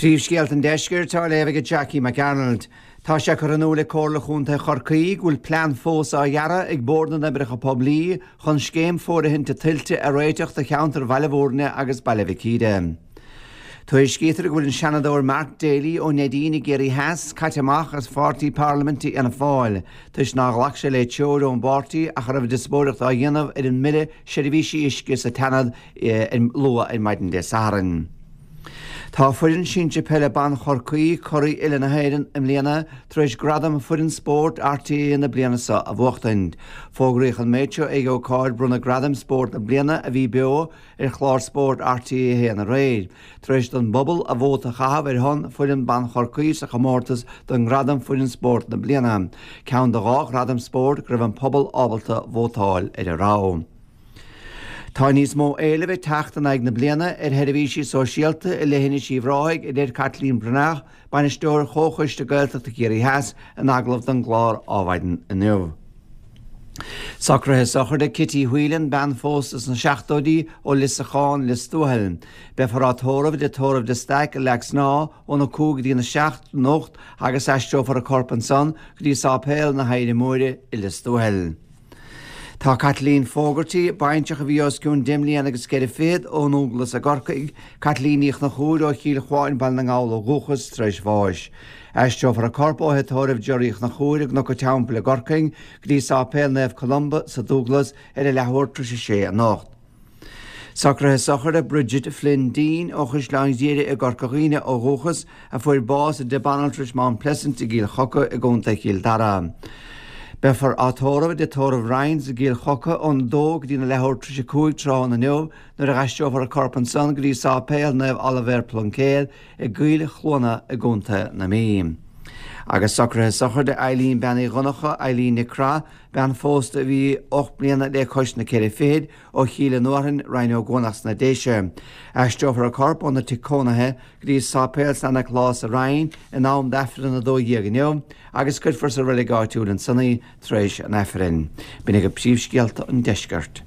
Príomhscéalta an Deiscirt á léamh ag Jackie McArnold. Tá sé curtha in iúl ag Comhairle Chontae Chorcaí go bhfuil plean fós á dhearadh ag Bord na nOibreacha Poiblí chun scéim fóirithinte tuilte a réiteach do cheantar Bhaile Bhúirne agus Baile Mhic Íre. Tuairiscítear go bhfuil an Seanadóir Mark Daly ó Neidín i gCiarraí Theas caite amach as pháirtí parlaiminte Fhianna Fáil toisc nár ghlac sé le treoir ón bpáirtí ach a raibh diospóireacht á dhéanamh ar an mBille Seirbhísí Uisce sa tSeanad luath ar maidin Dé Sathairn. Tá foireann sinsir peile ban Chorcaí, curaidh uile na hÉireann i mbliana, tar éis gradam Foireann Spóirt RTÉ na bliana seo a bhuachtaint. Fógraíodh an méid seo ag ócáid bronnadh gradaim Spórt na Bliana a bhí beo ar chlár spóirt RTÉ 1 aréir, tar éis don bpobal a vóta a chaitheamh ar shon foireann ban Chorcaí sa chomórtas don ngradam Foireann Spóirt na Bliana, ceann de dhá ghradam spóirt go raibh an pobal ábalta vótáil ar a rogha. Tá níos mó éilimh ag teacht in aghaidh na bliana ar sheirbhísí sóisialta i Leithinis Uíbh Ráthaigh, a deir Caitlín Breathnach, Bainisteoir Chomhchoiste Gaeltachta Chiarraí Theas, in agallamh don gclár Adhmhaidin inniu. Socruithe sochraide Kitty Whelan, bean phósta sna seachtóidí ó Lios a' Cháin, Lios Tuathail. Beifear á tórramh i dTigh Tórraimh de Staic i Leac Snámha óna 5 go dtína 7 anocht agus aistreofar a corp ansan go dtí Sáipéal na hOidhre Móire i Lios Tuathail. Tá Caitlín Fogarty, baintreach a bhí os cionn deich mbliana agus ceithre fichead ón nDúglas i gCorcaigh, Caitlín Ní Chonchúir ó Chill Chuáin, Baile na nGall ó dhúchas, tar éis bháis. Aistreofar a corp ó thigh tórraimh Jerry Uí Chonchúir i gCnoc an Teampaill i gCorcaigh go dtí Sáipéal Naomh Columba sa Dúglas ar a leathuair tar éis a sé anocht. Socruithe sochraide Bridget Flynn Deane ó Chaisleán Ghriaire i gCorca Dhuibhne ó dhúchas, a fuair bás i dtigh banaltrais Mount Pleasant i gCill Choca i gContae Chill Dara. Beifear á tórramh i dtigh tórraimh Ryan's i gCill Choca ón 2 go dtína leathuair tar éis a 5 tráthnóna inniu nuair a aistreofar a corp ansan go dtí Sáipéal Naomh Oilibhéar Pluincéad i gCoill Chluana i gContae na Mí. Agus socruithe sochraide Eileen Bean Uí Dhonncha, Eileen Nic Craith, bean phósta a bhí 8 mbliana le cois na ceithre fichid, ó Chill an Fhearthainn, Rinn Ó gCuanach sna Déise. Aistreofar a corp óna tigh cónaithe go dtí Sáipéal San Nioclás sa Rinn in am d'Aifreann 12 inniu agus cuirfear sa reilig áitiúil ansan í tar éis an Aifrinn. B'in agaibh príomhscéalta an deiscirt.